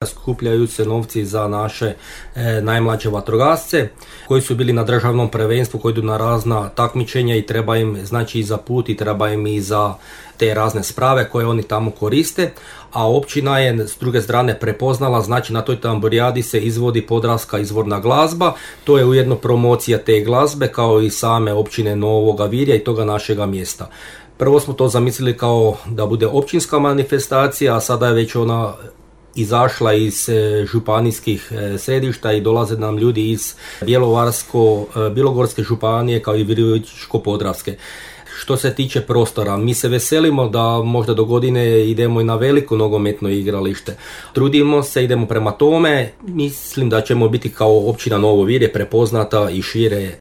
Skupljaju se novci za naše najmlađe vatrogasce koji su bili na državnom prvenstvu, koji idu na razna takmičenja i treba im znači i za put i treba im i za te razne sprave koje oni tamo koriste, a općina je s druge strane prepoznala, znači na toj tamburijadi se izvodi podravska izvorna glazba, to je ujedno promocija te glazbe kao i same općine Novoga Virja i toga našega mjesta. Prvo smo to zamislili kao da bude općinska manifestacija, a sada je već ona izašla iz županijskih središta i dolaze nam ljudi iz Bjelovarsko-bilogorske županije kao i Virovitičko-podravske. Što se tiče prostora, mi se veselimo da možda do godine idemo i na veliko nogometno igralište. Trudimo se, idemo prema tome, mislim da ćemo biti kao općina Novo Virje prepoznata i šire